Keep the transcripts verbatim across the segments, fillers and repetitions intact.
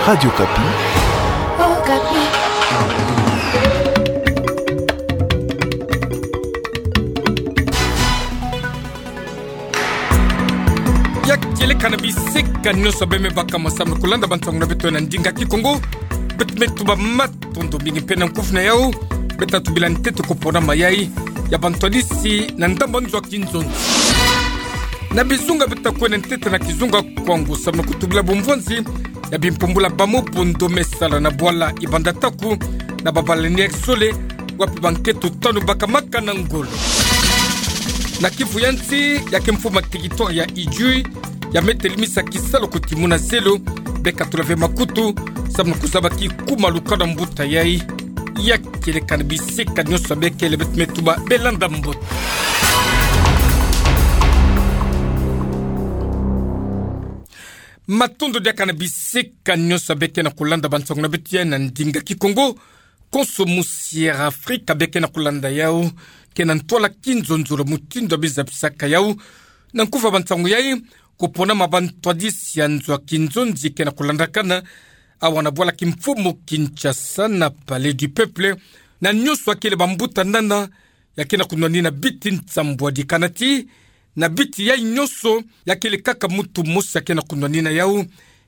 Radio Okapi. Okapi. Ya kieleka na bisika nyonso bê mebaka ma samu na kulanda bansangu na beto na ndinga Kikongo. Beto me tuba matondo mingi mpe na nkufi na yau. Beto tubila ntete kupona mayai ya bantwadisi na ndambu nzo a kinzonzi. Na bizunga beto takwenda ntete na kizunga Kwango samu na kutubila bumvwanzi ya bimpumbulu ba mobondo me sala na bwala Ibanda Taku na ba baleinière zole, wapi bankento tanu bakamaka na ngolo. Na kivu ya nsi, ya kimfumu a territoire ya Idjwi, ya me telimisa kisalu kuti muna zelo, bê katula ve makutu samu na kuzaba kikuma lukanu mbuta yai. Ya kieleka na bisika nyonso bê kele, beto me tuba bê landa mbote. Matondo diaka na bisika nyonso bê ke na kulanda bansangu na beto ya na ndinga Kikongo. Konso musi Air Afrique bê ke na kulanda yau, ke na ntwala kinzonzolo mutindu a bizabisaka yau na nkufi a bansangu yai. Kupona ma bantwadisi ya nzo a kinzonzi ke na kulandakana awa na bwala kimfumu Kinshasa, na Palais du Peuple, na nyonso a kele bambuta nana ya ke na kunwanina biti nsambwadi. Kana ti na biti yai nyonso, ya kele kaka muntu mosi ya ke na kunwanina yau.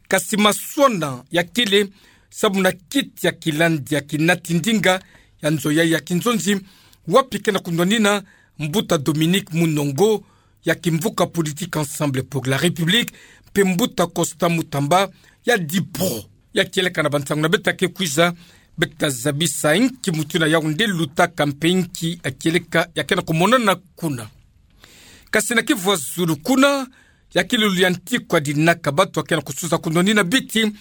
Kasi maswana ya kele samu na kiti ya kilandi ya kinati ndinga ya nzo yai ya kinzonzi, wapi ke na kunwanina mbuta Dominique Munongo, ya kimvuka politique Ensemble pour la République, mpe mbuta Constant Mutamba, ya DIPRO. Ya kieleka na bansangu na beto ke kwiza, beto tazabisa inki mutindu na yau nde lutaka mpe inki ya kieleka ya ke na kumonana kuna. Kasi na kivu ya zulu kuna, ya kele lululu ya nti kwa dinaka, bantu ya ke na kususa kunwanina biti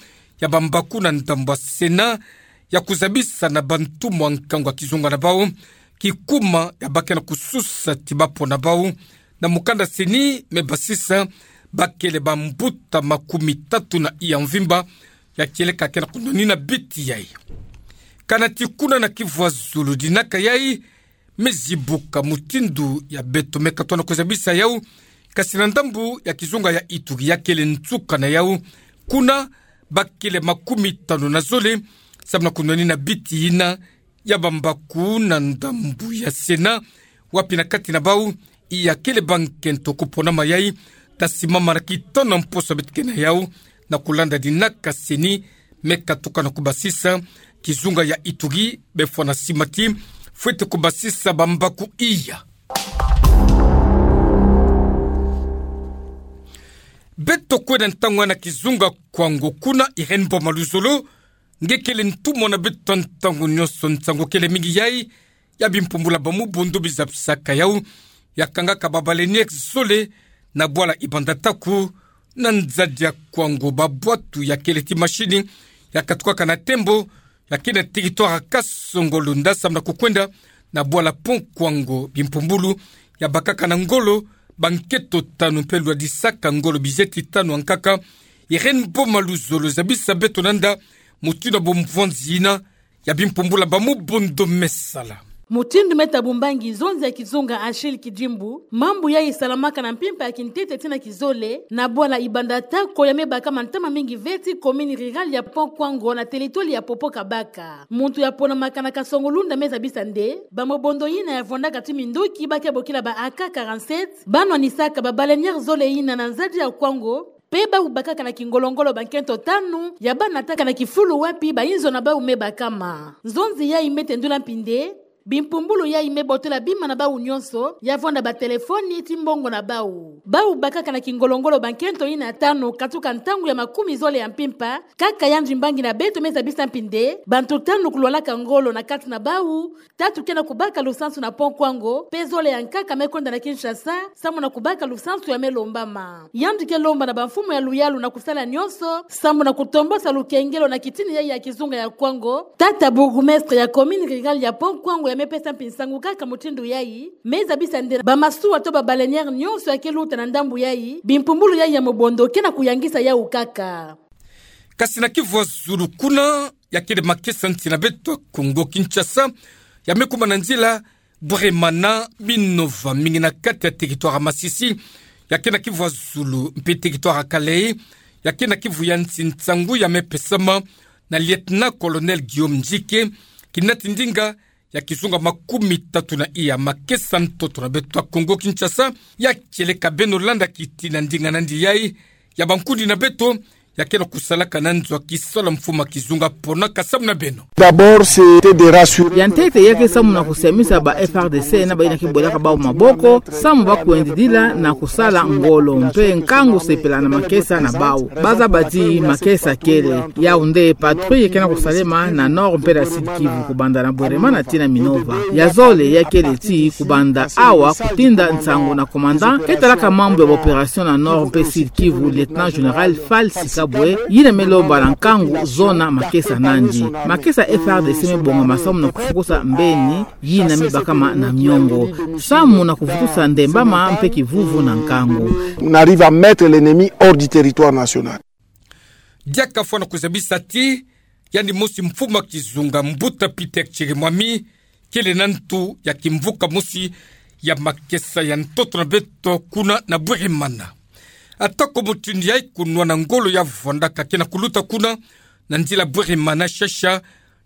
ya bambaku na ndambu a Sénat, ya kuzabisa na bantu mwa nkangu a kizunga na bau kikuma ya ba ke na kususa ti bapona bau. Na mukanda CENI me basisa, ba kele bambuta makumi tatu na iya mvimba ya kieleka ke na kunwanina biti yai. Kana ti kuna na kivu ya zulu dinaka yai me zibuka mutindu ya beto me katona kuzabisa yau. Kasi na ndambu ya kizunga ya Ituri, ya kele nsuka na yau, kuna ba kele makumi tanu na zole samu na kunwanina biti yina ya bambaku na ndambu ya Sénat, wapi na kati na bau iya kele bankento kupona mayai. Tasimama na kitona mposo beto ke na yau, na kulanda dinaka CENI me katuka na kubasisa. Kizunga ya Ituri bê fwana sima ti fwete kubasisa bambaku iya. Beto kwenda ntangu na kizunga Kwango, kuna Irène Boma Luzolo nge kele ntumwa na beto ntangu nyonso. Nsangu kele mingi yai ya bimpumbulu ba mobondo bizabisaka yau, ya kangaka ba baleinière zole na bwala Ibanda Taku, na nzadi ya Kwango. Babwatu ya kele ti machine ya katukaka na tembo, ya ke na territoire ya Kasongo-Lunda samu na kukwenda na bwala Pont Kwango. Bimpumbulu ya bakaka na ngolo bankento tanu mpe lwadisaka ngolo bizeti tanu ya nkaka. Irène Boma Luzolo, zabisa beto nanda mutindu ya bumvwanzi yina ya bimpumbulu ba mobondo me sala. Mutindu me tabumbangi nzonzi ya kizunga Achille Kidimbu, mambu yai salamaka na mpimpa ya kintete tii na kizole na bwala Ibanda Taku ya me bakama ntama mingi ve ti commune rurale ya Pont Kwango na territoire ya Popo-Kabaka. Muntu ya ponamaka na Kasongo-Lunda me zabisa nde ba mobondo yina ya vwandaka ti minduki ba ke bokila ba A K quarante-sept ba nwanisaka ba baleinière zole yina na nzadi ya Kwango, mpe bau bakaka na kingolo-ngolo bankento tanu ya ba nataka na kifulu wapi bayinzo na bau me bakama. Nzonzi yai me tendula mpi nde bimpumbulu yai me botola bima na bau nyonso, ya vwanda ba téléphone ti mbongo na bau. Bau bakaka na kingolo-ngolo bankento yina tanu katuka ntangu ya makumi zole ya mpimpa, kaka yandi mbangi na beto me zabisa mpi nde bantu tanu kulwalaka ngolo na kati na bau, tatu ke na kubaka lusansu na Pont Kwango, mpe zole ya nkaka me kwenda na Kinshasa samu na kubaka lusansu ya me lombama. Yandi ke lomba na bamfumu ya luyalu na kusala nyonso samu na kutombosa lukengelo na kitini yai ya kizunga ya Kwango. Tata bourgmestre ya commune rurale ya Pont Kwango ya me pesa mpi nsangu kaka mutindu yai, me zabisa nde ba masuwa to ba baleinière nyonso ya ke luta na ndambu yai, bimpumbulu yai ya mobondo ke na kuyangisa yau kaka. Kasi na kivu ya zulu kuna, ya kele makesa nsi na beto Kongo Kinshasa, ya me kuma na nzila Bweremana Minova, mingi na kati ya territoire ya Masisi, ya ke na kivu ya zulu, mpe territoire ya Kalehe, ya ke na kivu ya nsi nsangu ya mepesama na Lieutenant-colonel Guillaume Ndjike, kinati ndinga ya kizunga makumi tatu na iya makesa ntoto na beto ya Kongo Kinshasa, ya kieleka beno landa kitina ndinga nandi yai, ya bankundi na beto ya ke na kusalaka na nzo ya kisalu ya mfumu kizunga pona kasamu na beno. D'abord, c'était de rassurer. Ya ntete ya ke samu na kusiamisa ba F A R D C na bayi na ke bwelaka bau maboko, samu ba kwendidila na kusala ngolo mpe nkangu sepela na makesa na bau. Bazabati makesa kele, yau nde patrouille ke na kusalema na Nord mpe na Sud-Kivu, kubanda na Bweremana tii na Minova. Ya zole ya kele ti kubanda awa kutinda nsangu na commandant ke talaka mambu ya ba opération na Nord mpe Sud-Kivu, Lieutenant-général Falsi Kabwe, yina me lomba na nkangu zona makesa nandi. Makesa F A R D C me bongama samu na kufukusa mbeni yina me bakama na miongo, samu na kuvutusa ndembama mpe kivuvu na nkangu. On arrive à mettre l'ennemi hors du territoire national. Diaka fwana kuzabisa ti yandi mosi mfumu kizunga Mbuta Peter Chirimwami kele na ntu ya kimvuka mosi ya makesa ya ntoto na beto kuna na Bweremana. Atako mutindu yai kunwana ngolo ya vwandaka ke na kuluta kuna na nzila Bweremana-Shasha,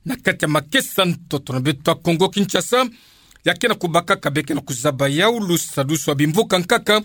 na kati ya makesa ntoto na beto ya Kongo Kinshasa, ya ke na kubakaka be ke na kuzaba yau lusadusu ya bimvuka nkaka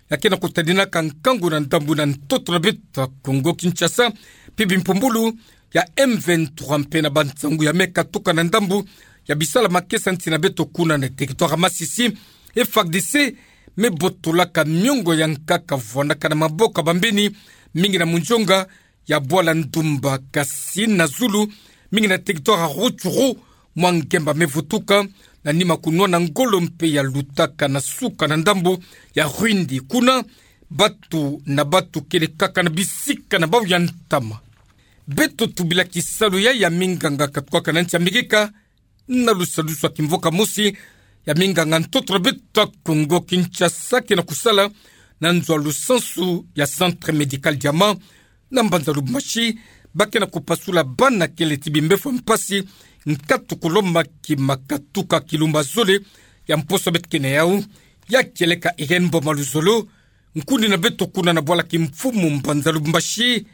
ya ke na kutadinaka nkangu na ndambu na ntoto na beto ya Kongo Kinshasa, mpe bimpumbulu ya M vingt-trois mpe na bansangu ya me katuka na ndambu ya bisalu ya makesa nsi na beto kuna na territoire ya Masisi. F A R D C me botolaka miongo ya nkaka vwandaka na maboko ya bambeni, mingi na munzonga ya bwala ndumba, kasi na zulu, mingi na territoire ya Rutshuru, mwa ngemba me vutuka na nima kunwana ngolo mpe ya lutaka na suka na ndambu ya Rwindi. Kuna, batu na batu kele kaka na bisika na bau ya ntama. Beto tubila kisalu ya, ya minganga katukaka na nsi ya Amerika, na lusadusu ya kimvuka mosi ya minganga ntoto na beto ya Kongo Kinshasa ke na kusala na nzo ya lusansu ya Centre Médical Diamant na mbanza Lubumbashi, ba ke na kupasula bana kele ti bimbevo ya mpasi, nkatu kulomba ki makatuka kilumba zole ya mposo beto ke na yau. Ya kieleka Irène Mboma Luzolo, nkundi na beto kuna na bwala kimfumu mbanza Lubumbashi,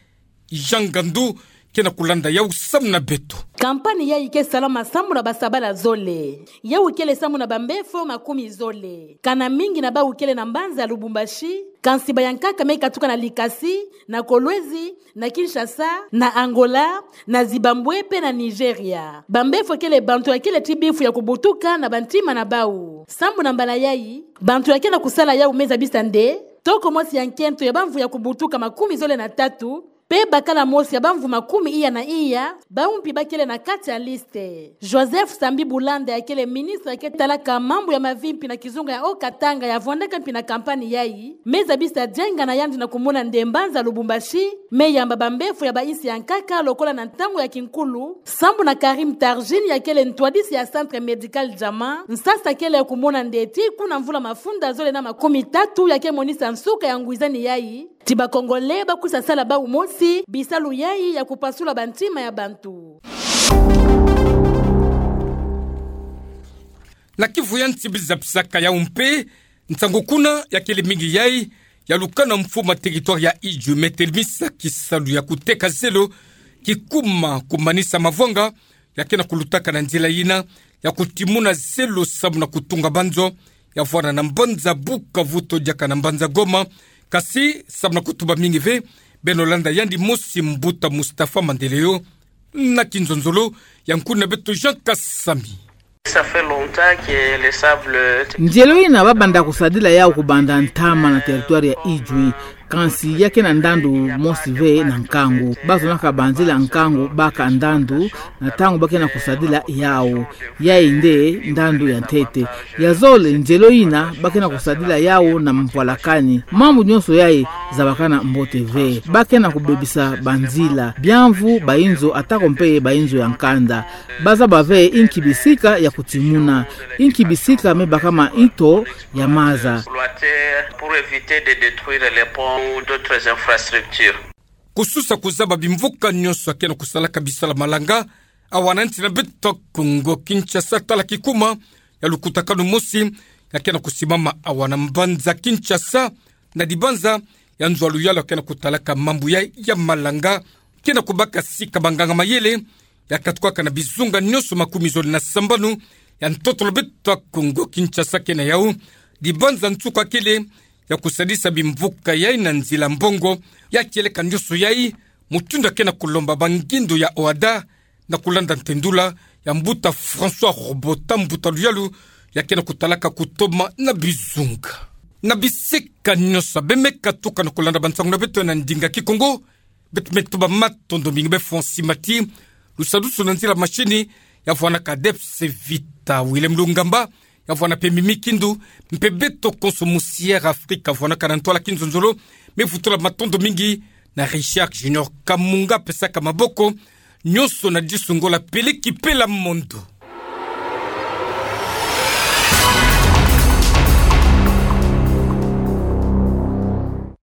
Jean Ngandu, ke na kulanda yau samu na beto. Kampani yai ke salama samu na basabala zole. Yau kele samu na bambevo makumi zole. Kana mingi na bau kele na mbanza Lubumbashi, kansi bau ya nkaka me katuka na Likasi, na Kolwezi, na Kinshasa, na Angola, na Zimbabwe mpe na Nigeria. Bambevo kele bantu ya kele ti bifu ya kubutuka na bantima na bau. Samu na mbala yai, bantu ya ke na kusala yau me zabisa nde toko mosi ya nkento ya bamvu ya kubutuka makumi zole na tatu, mpe bakala mosi ya bamvu makumi iya na iya, bau mpi ba kele na kati ya liste. Joseph Sambi Bulanda, ya kele ministre ya ke talaka mambu ya mavimpi na kizunga ya Haut-Katanga, ya vwandaka mpi na kampani yai, me zabisa dienga na yandi na kumona nde mbanza Lubumbashi me yamba bambevo ya bainsi ya nkaka lokola na ntangu ya kinkulu, samu na Karim Tarjine, ya kele ntwadisi ya Centre Médical Diamant, nsasa kele ya kumona nde ti kuna mvula mafunda zole na makumi tatu ya ke monisa nsuka ya ngwizani yai, ti ba Congolais ba kwisa sala bau mosi bisalu yai ya kupasula bantima ya bantu. Na kivu ya nsi biza bisaka yau mpe, nsangu kuna ya kele mingi yai, ya lukana mfumu ya territoire ya Idjwi me telemisa kisalu ya kuteka zelo, kikuma kumanisa mavwanga, ya ke na kulutaka na nzila yina ya kutimuna zelo samu na kutunga banzo, ya vwanda na mbanza Bukavu to diaka na mbanza Goma. Kasi samu na kutuba mingi ve, beno landa yandi mosi Mbuta Mustapha Mandeleo na kinzonzolo ya nkundi na beto Jean Kasami. Ça fait longtemps que les sables... Nzelo yina ba banda kusadila yau kubanda ntama na territoire ya Idjwi, kansi ya ke na ndandu mosi ve na nkangu. Ba zonaka banzila nkangu baka ndandu na ntangu ba ke na kusadila yau. Yai nde ndandu ya ntete. Ya zole, nzelo yina ba ke na kusadila yau na mpwalakani. Mambu nyonso yai zabakana mbote ve. Ba ke na kubebisa banzila, biamvu, bainzo, atako mpe bainzo ya nkanda. Ba zaba ve inki bisika ya kutimuna, inki bisika me bakama nto ya maza. Pour éviter de détruire les ponts ou d'autres infrastructures. Kususa kuzaba bimvuka nyonso ya ke na kusalaka bisalu ya malanga, awa na nsi na beto Kongo Kinshasa, tala kikuma ya lukutakanu mosi ya ke na kusimama awa na mbanza Kinshasa, na dibanza ya nzo ya luyalu ya kena kutalaka mambu ya, ya malanga, kena kubaka sika banganga mayele ya katukaka na bizunga nyonso makumi zole na sambanu ya ntoto lo beto ya Kongo Kinshasa. Kena yau dibanza nsuka kele ya kusadisa bimvuka yai na nzila mbongo ya kieleka nyonso yai, mutindu ya kena kulomba bangindo ya OHADA na kulanda ntendula ya mbuta François Robota, mbuta luyalu ya kena kutalaka kutoma na bizunga. Na bisika nyonso beme katuka na kulanda bansangu na beto na ndinga Kikongo, beto me tuba matondo mingi. Befo nsimati lusadusu na nzila mashini ya vwanaka Debs Vita, Willem Lungamba ya vwana pe Mimi Kindu, mpe beto konso mu Sierra Africa vwanaka na ntwala kinzonzolo. Me vutula matondo mingi na Richard Junior Kamunga pesaka maboko nyonso na disu ngola peleki pela mondo.